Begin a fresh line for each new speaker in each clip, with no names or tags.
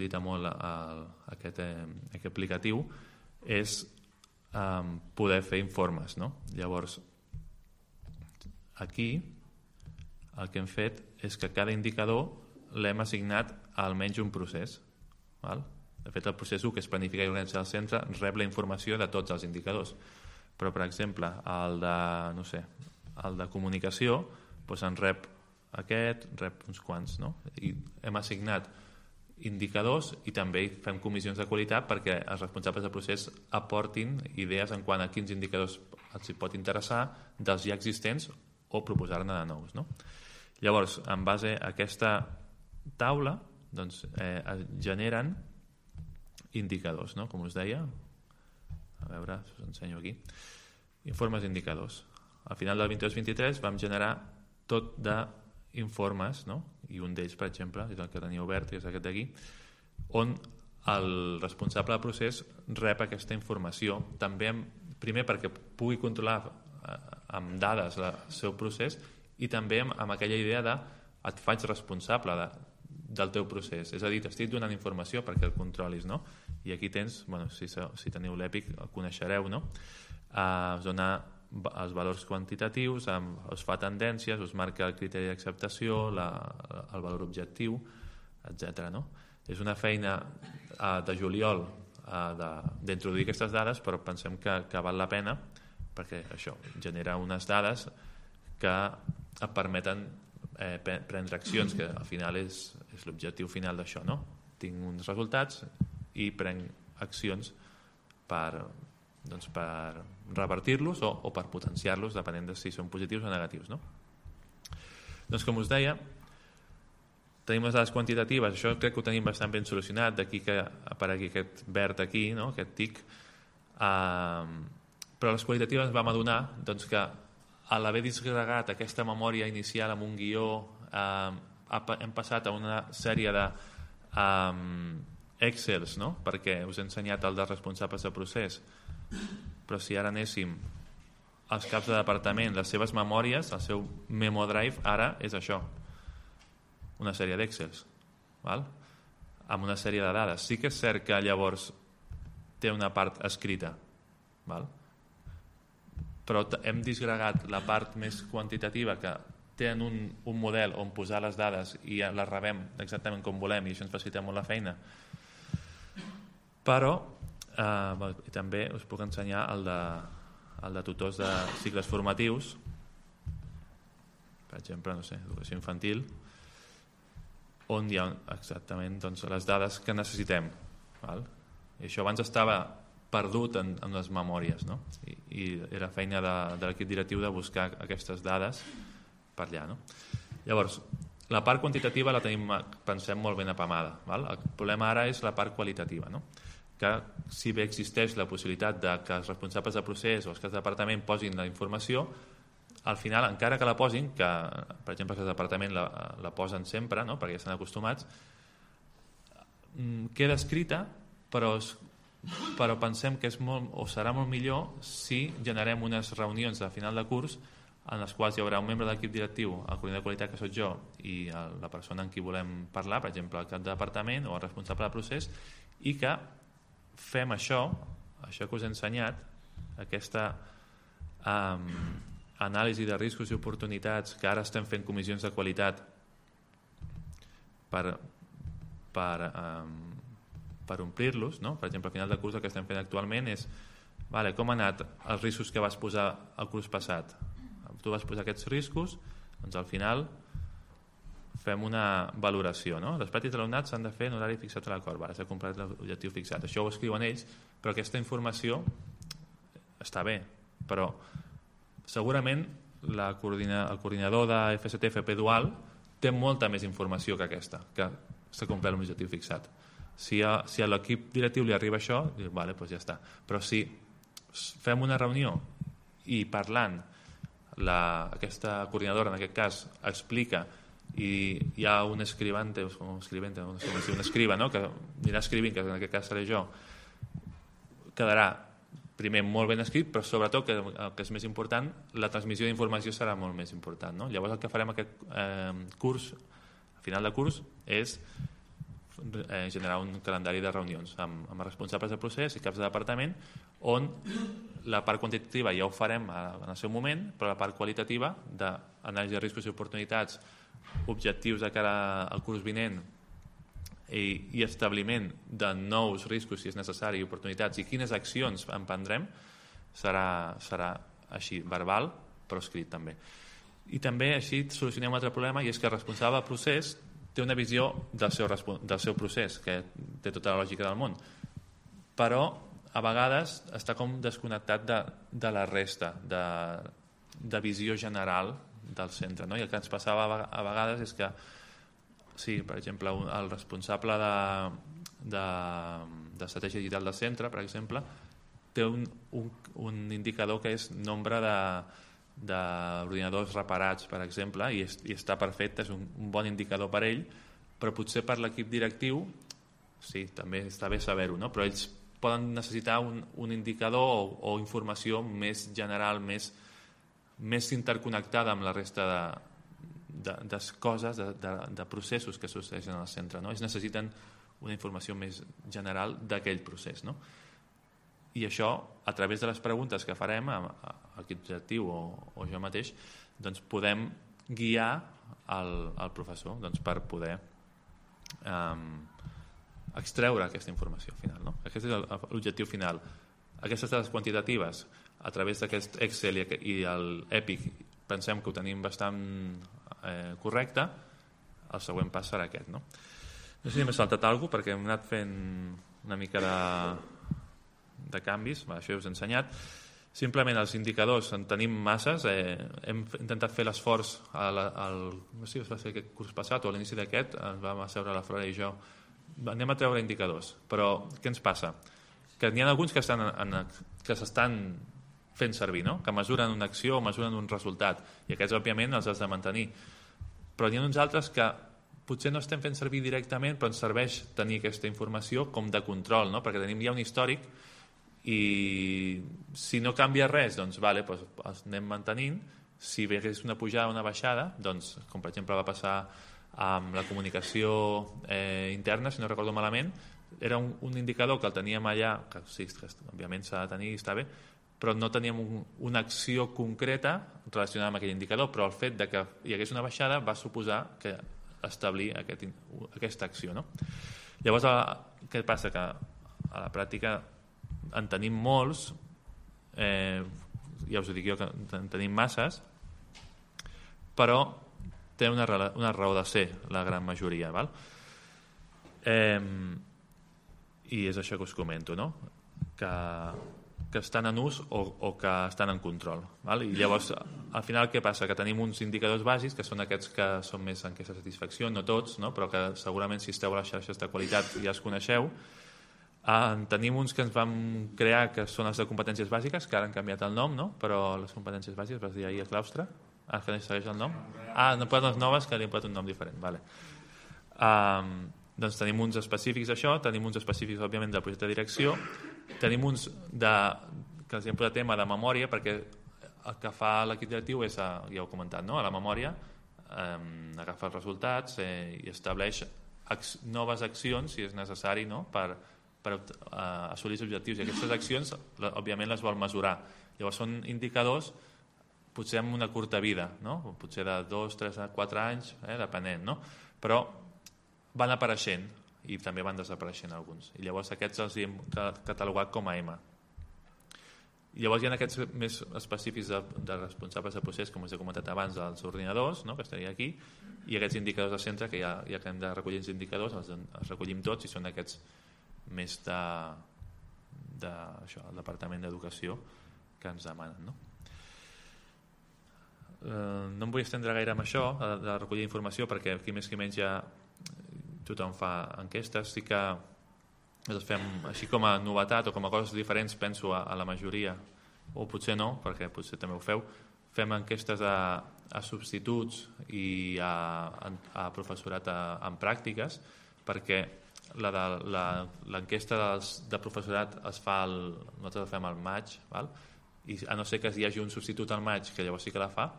facilita molt aquest aplicatiu, és poder fer informes, no? Llavors, aquí el que hem fet és que cada indicador l'hem assignat a almenys un procés. Val? De fet, el procés 1, que és planificar i organitzar el centre, rep la informació de tots els indicadors. Però, per exemple, el de comunicació, doncs en rep aquest, rep uns quants, no? I hem assignat indicadors i també fem comissions de qualitat perquè els responsables del procés aportin idees en quant a quins indicadors els pot interessar dels ja existents o proposar-ne de nous, no? Llavors, en base a aquesta taula, doncs, es generen indicadors, no? Com us deia, a veure, us ensenyo aquí, informes d'indicadors. Al final del 22-23 vam generar tot d'informes, no? I un d'ells, per exemple, és el que tenia obert, que és aquest d'aquí, on el responsable del procés rep aquesta informació, també primer perquè pugui controlar amb dades el seu procés i també amb aquella idea de et faig responsable del teu procés, és a dir, t'estic donant informació perquè el controlis, no? I aquí tens, bueno, si teniu l'EPIC el coneixereu, no? Us dona els valors quantitatius, us fa tendències, us marca el criteri d'acceptació, el valor objectiu, etc. No? És una feina de juliol d'introduir aquestes dades, però pensem que val la pena perquè això genera unes dades que et permeten prendre accions, que al final és l'objectiu final d'això, no? Tinc uns resultats i prenc accions per revertir-los o per potenciar-los, depenent de si són positius o negatius, no? Doncs com us deia, tenim les dades quantitatives, això crec que ho tenim bastant ben solucionat, d'aquí que aparegui aquest verd aquí, no? Aquest tic, però les qualitatives vam adonar doncs, que a l'haver disgregat aquesta memòria inicial amb un guió, hem passat a una sèrie de Excels, no? Perquè us he ensenyat el dels responsables de procés, però si ara anéssim als caps de departament, les seves memòries, el seu memo drive, ara és això, una sèrie d'Excels, amb una sèrie de dades. Sí que és cert que llavors té una part escrita, però hem disgregat la part més quantitativa, que tenen un model on posar les dades i les rebem exactament com volem i això ens facilita molt la feina. Però també us puc ensenyar el de tutors de cicles formatius, per exemple, no sé, educació infantil, on hi ha exactament doncs, les dades que necessitem. I això abans estava perdut en les memòries, no? I era feina de l'equip directiu de buscar aquestes dades per allà, no? Llavors, la part quantitativa la tenim, pensem, molt ben apamada. El problema ara és la part qualitativa, no? Que si bé existeix la possibilitat de que els responsables de procés o els caps de departament posin la informació, al final, encara que la posin, que per exemple els caps de departament la posen sempre, no? Perquè ja estan acostumats, queda escrita, però pensem que és serà molt millor si generem unes reunions de final de curs en les quals hi haurà un membre de l'equip directiu, el coordinador de qualitat, que soc jo, i la persona amb qui volem parlar, per exemple el cap de departament o el responsable de procés, i que fem això que us he ensenyat, aquesta anàlisi de riscos i oportunitats, que ara estem fent comissions de qualitat per omplir-los, no? Per exemple, al final del curs el que estem fent actualment és com han anat els riscos que vas posar el curs passat. Tu vas posar aquests riscos, doncs al final fem una valoració, no? Les pràctiques de l'alumnat s'han de fer en horari fixat a l'acord, s'ha completat l'objectiu fixat. Això ho escriuen ells, però aquesta informació està bé, però segurament el coordinador de FST-FP Dual té molta més informació que aquesta, que s'ha complert l'objectiu fixat. Si a l'equip directiu li arriba això, doncs ja està. Però si fem una reunió i parlant aquesta coordinadora, en aquest cas, explica i hi ha un escribante, un escriba, no? Que anirà escrivint, que en aquest cas seré jo, quedarà primer molt ben escrit, però sobretot, que el que és més important, la transmissió d'informació serà molt més important, no? Llavors el que farem aquest curs, al final de curs, és generar un calendari de reunions amb responsables de procés i caps de departament, on la part quantitativa ja ho farem en el seu moment, però la part qualitativa d'anàlisi de riscos i oportunitats, objectius de cara al curs vinent i establiment de nous riscos si és necessari, oportunitats i quines accions emprendrem, serà així, verbal, però escrit també. I també així solucionem un altre problema, i és que el responsable del procés té una visió del seu procés, que té tota la lògica del món, però a vegades està com desconnectat de la resta, de visió general del centre, no? I el que ens passava a vegades és que, sí, per exemple, el responsable d'estratègia digital del centre, per exemple, té un indicador que és nombre d'ordinadors reparats, per exemple, i està perfecte, és un bon indicador per ell, però potser per l'equip directiu, sí, també està bé saber-ho, no? Però ells poden necessitar un indicador o informació més general, més interconnectada amb la resta de coses, de processos que succeeixen al centre, no? Ells necessiten una informació més general d'aquell procés, no? I això, a través de les preguntes que farem a l'equip directiu o jo mateix, doncs podem guiar el professor per poder extreure aquesta informació final, no? Aquest és l'objectiu final. Aquestes dades quantitatives, a través d'aquest Excel i l'Epic, pensem que ho tenim bastant correcte. El següent pas serà aquest, no? No sé si m'he saltat alguna cosa, perquè hem anat fent una mica de canvis, això ja us he ensenyat. Simplement els indicadors, en tenim masses, hem intentat fer l'esforç no sé si va ser aquest curs passat o a l'inici d'aquest, ens vam asseure la Flora i jo, anem a treure indicadors, però què ens passa? Que n'hi ha alguns que s'estan fent servir, no? Que mesuren una acció o mesuren un resultat, i aquests òbviament els has de mantenir, però n'hi ha uns altres que potser no estem fent servir directament, però ens serveix tenir aquesta informació com de control, no? Perquè tenim ja un històric i si no canvia res, doncs vale, doncs els anem mantenint. Si hi hagués una pujada o una baixada, doncs, com per exemple va passar amb la comunicació interna, si no recordo malament, era un indicador que el teníem allà, que sí, que òbviament s'ha de tenir i està bé, però no teníem una acció concreta relacionada amb aquell indicador, però el fet de que hi hagués una baixada va suposar que establir aquesta acció, no? Llavors, què passa? Que a la pràctica en tenim molts, ja us ho dic jo que en tenim masses, però té una raó de ser la gran majoria, val? I és això que us comento, no? Que estan en ús o que estan en control, val? I llavors al final què passa? Que tenim uns indicadors bàsics que són aquests que són més enquesta de satisfacció, no tots, no? Però que segurament si esteu a les xarxes de qualitat ja els coneixeu. Tenim uns que ens vam crear que són els de competències bàsiques, que ara han canviat el nom, no? Però les competències bàsiques, vas dir ahir a claustre, que no segueix el nom? No poden les noves, que li han posat un nom diferent, vale. Doncs tenim uns específics d'això, tenim uns específics òbviament del projecte de direcció, tenim uns que els hem posat tema de memòria, perquè el que fa l'equip directiu és, ja ho he comentat, no? A la memòria agafa els resultats i estableix noves accions si és necessari, no? Per assolir els objectius, i aquestes accions òbviament les vol mesurar. Llavors són indicadors potser amb una curta vida, no? Potser de 2, 3, 4 anys, depenent, no? Però van apareixent i també van desapareixent alguns, i llavors aquests els hem catalogat com a M. I llavors hi ha aquests més específics de responsables de procés, com us he comentat abans, dels ordinadors, no? Que estaria aquí, i aquests indicadors de centre, que ja que hem de recollir els indicadors, els recollim tots, i són aquests més del Departament d'Educació que ens demanen, no? No em vull estendre gaire amb això de recollir informació, perquè aquí més que menys ja tothom fa enquestes. Sí que les fem així com a novetat o com a coses diferents, penso a la majoria, o potser no, perquè potser també ho feu. Fem enquestes a substituts i a professorat en pràctiques, perquè l'enquesta de professorat nosaltres la fem al maig, val? I a no ser que hi hagi un substitut al maig, que llavors sí que la fa,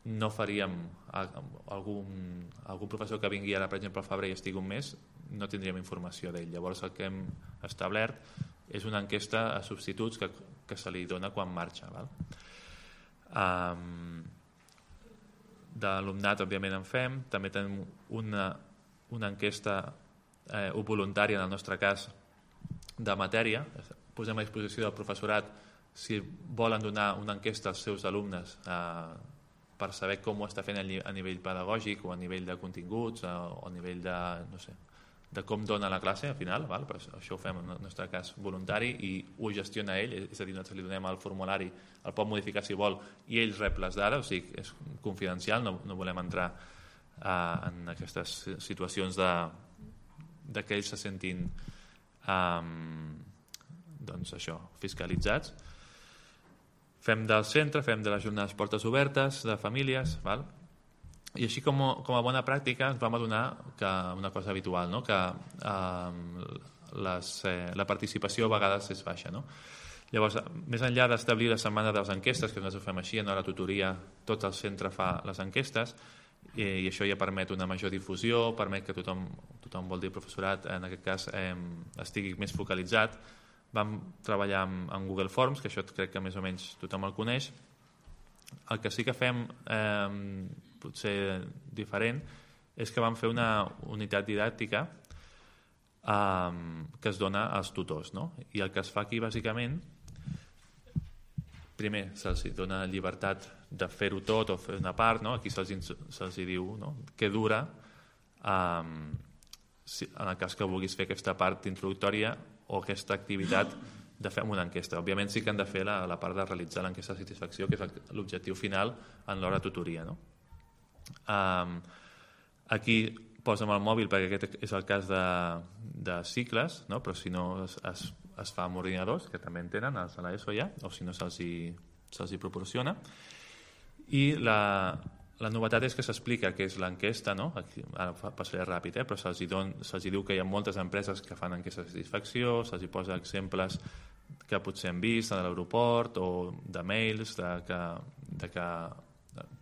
no faríem algun professor que vingui ara, per exemple, al febrer i estigui un mes, no tindríem informació d'ell. Llavors el que hem establert és una enquesta a substituts que se li dona quan marxa. Val? D'alumnat, òbviament, en fem. També tenim una enquesta voluntària, en el nostre cas, de matèria. Posem a disposició del professorat si volen donar una enquesta als seus alumnes per saber com ho està fent a nivell pedagògic o a nivell de continguts o a nivell de, no sé, de com dona la classe al final, val? Però això ho fem en el nostre cas voluntari i ho gestiona ell, és a dir, nosaltres li donem el formulari, el pot modificar si vol i ell rep les dades, o sigui, és confidencial, no volem entrar en aquestes situacions de que ells se sentin doncs això, fiscalitzats. Fem del centre, fem de les jornades portes obertes, de famílies, val? I així com a bona pràctica ens vam adonar que una cosa habitual, no? Que la participació a vegades és baixa. No? Llavors, més enllà d'establir la setmana de les enquestes, que nosaltres ho fem així, en la tutoria tot el centre fa les enquestes, i això ja permet una major difusió, permet que tothom vol dir professorat, en aquest cas estigui més focalitzat. Vam treballar amb Google Forms, que això crec que més o menys tothom el coneix. El que sí que fem potser diferent és que vam fer una unitat didàctica que es dona als tutors, no? I el que es fa aquí bàsicament, primer se'ls dona llibertat de fer-ho tot o fer una part, no? Aquí se'ls diu, no? Què dura en el cas que vulguis fer aquesta part introductòria o aquesta activitat de fer una enquesta. Òbviament sí que han de fer la part de realitzar l'enquesta de satisfacció, que és l'objectiu final en l'hora de tutoria. No? Aquí posa'm el mòbil perquè aquest és el cas de cicles, no? Però si no es fa amb ordinadors, que també en tenen els de l'ESO ja, o si no se'ls hi proporciona. I la novetat és que s'explica què és l'enquesta, no? Aquí, ara passaré ràpid, però se'ls diu que hi ha moltes empreses que fan enquestes de satisfacció, se'ls posa exemples que potser han vist a l'aeroport o de mails de que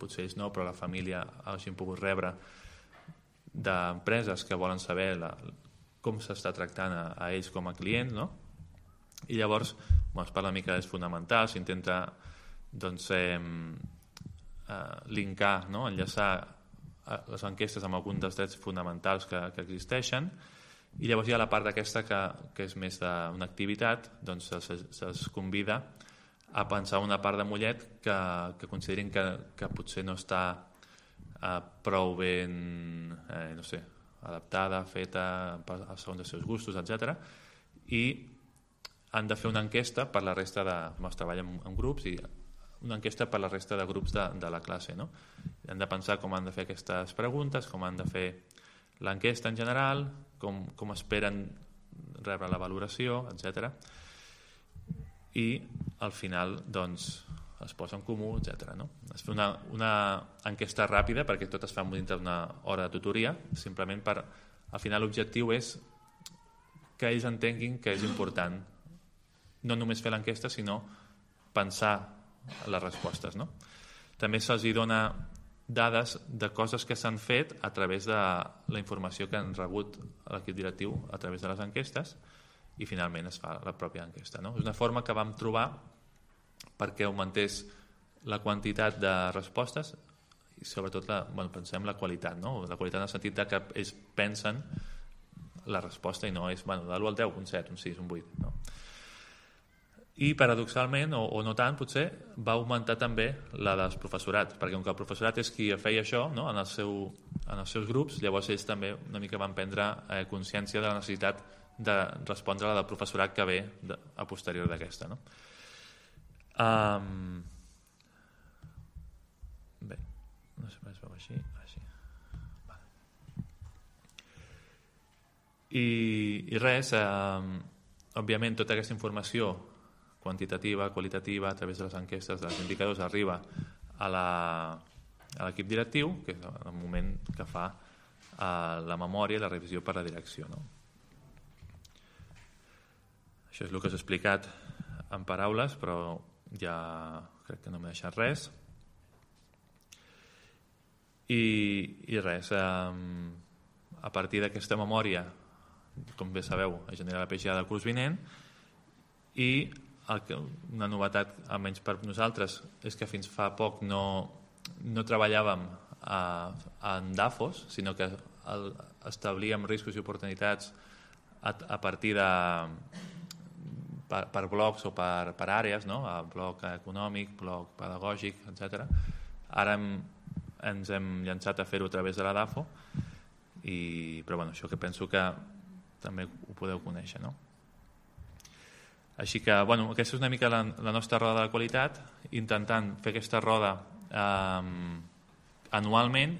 potser ells no, però la família hagin pogut rebre d'empreses que volen saber com s'està tractant a ells com a clients, no? I llavors es parla una mica dels fonamentals, s'intenta doncs linkar, no? Enllaçar les enquestes amb alguns dels drets fonamentals que existeixen, i llavors hi ha la part d'aquesta que és més d'una activitat, doncs se'ls convida a pensar una part de Mollet que considerin que potser no està prou ben no sé, adaptada, feta segons els seus gustos, etc. I han de fer una enquesta per la resta es treballa en grups i una enquesta per la resta de grups de la classe, no? Han de pensar com han de fer aquestes preguntes, com han de fer l'enquesta en general, com esperen rebre la valoració, etc. I al final doncs es posa en comú, etc. No? Es fa una enquesta ràpida perquè tot es fa dintre d'una hora de tutoria, simplement per al final l'objectiu és que ells entenguin que és important no només fer l'enquesta sinó pensar les respostes, no? També se'ls dona dades de coses que s'han fet a través de la informació que han rebut l'equip directiu a través de les enquestes i finalment es fa la pròpia enquesta, no? És una forma que vam trobar perquè augmentés la quantitat de respostes i sobretot pensem la qualitat, no? La qualitat en el sentit que ells pensen la resposta i no és de l'1 al 10, un 7, un 6, un 8, no? I paradoxalment, o no tant potser, va augmentar també la dels professorats, perquè com que el professorat és qui feia això, no? en els seus grups, llavors ells també una mica van prendre consciència de la necessitat de respondre a la del professorat que ve a posterior d'aquesta. No? Bé, no sé si es veu així. Vale. I res, òbviament tota aquesta informació quantitativa, qualitativa, a través de les enquestes, dels indicadors, arriba a l'equip directiu, que és el moment que fa la memòria i la revisió per la direcció. No? Això és el que us he explicat en paraules, però ja crec que no m'he deixat res. I res, a partir d'aquesta memòria com bé sabeu, es genera la PGA del curs vinent, i una novetat, almenys per nosaltres, és que fins fa poc no treballàvem en DAFOs, sinó que establíem riscos i oportunitats a partir de per blocs o per àrees, no? Bloc econòmic, bloc pedagògic, etc. Ara ens hem llançat a fer-ho a través de la DAFO, però bueno, això que penso que també ho podeu conèixer, no? Així que, bueno, aquesta és una mica la nostra roda de qualitat, intentant fer aquesta roda anualment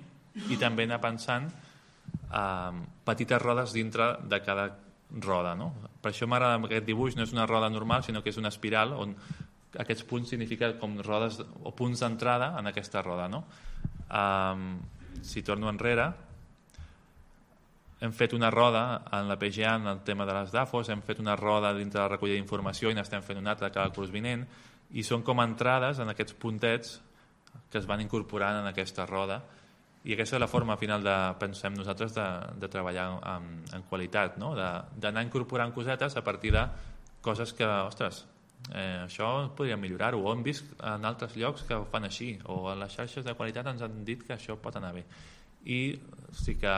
i també anar pensant petites rodes dintre de cada roda, no? Per això m'agrada aquest dibuix, no és una roda normal, sinó que és una espiral on aquests punts signifiquen com rodes o punts d'entrada en aquesta roda, no? Si torno enrere, hem fet una roda en la PGA en el tema de les DAFOs, hem fet una roda dintre de la recollida d'informació i n'estem fent una altra cada curs vinent, i són com entrades en aquests puntets que es van incorporant en aquesta roda, i aquesta és la forma final, pensem nosaltres, de treballar en qualitat, no? D'anar incorporant cosetes a partir de coses que, ostres, això podríem millorar-ho, o hem vist en altres llocs que ho fan així, o en les xarxes de qualitat ens han dit que això pot anar bé. I sí que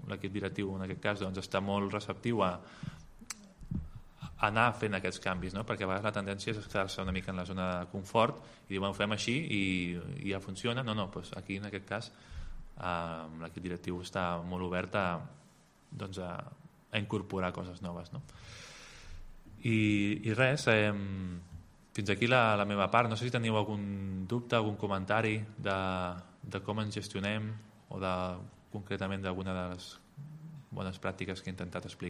l'equip directiu en aquest cas doncs, està molt receptiu a anar fent aquests canvis, no? Perquè a vegades la tendència és quedar-se una mica en la zona de confort i dir, bueno, fem així i ja funciona. No, doncs aquí en aquest cas l'equip directiu està molt obert a incorporar coses noves, no? I res, fins aquí la meva part. No sé si teniu algun dubte, algun comentari de com ens gestionem o concretament d'alguna de les bones pràctiques que he intentat explicar.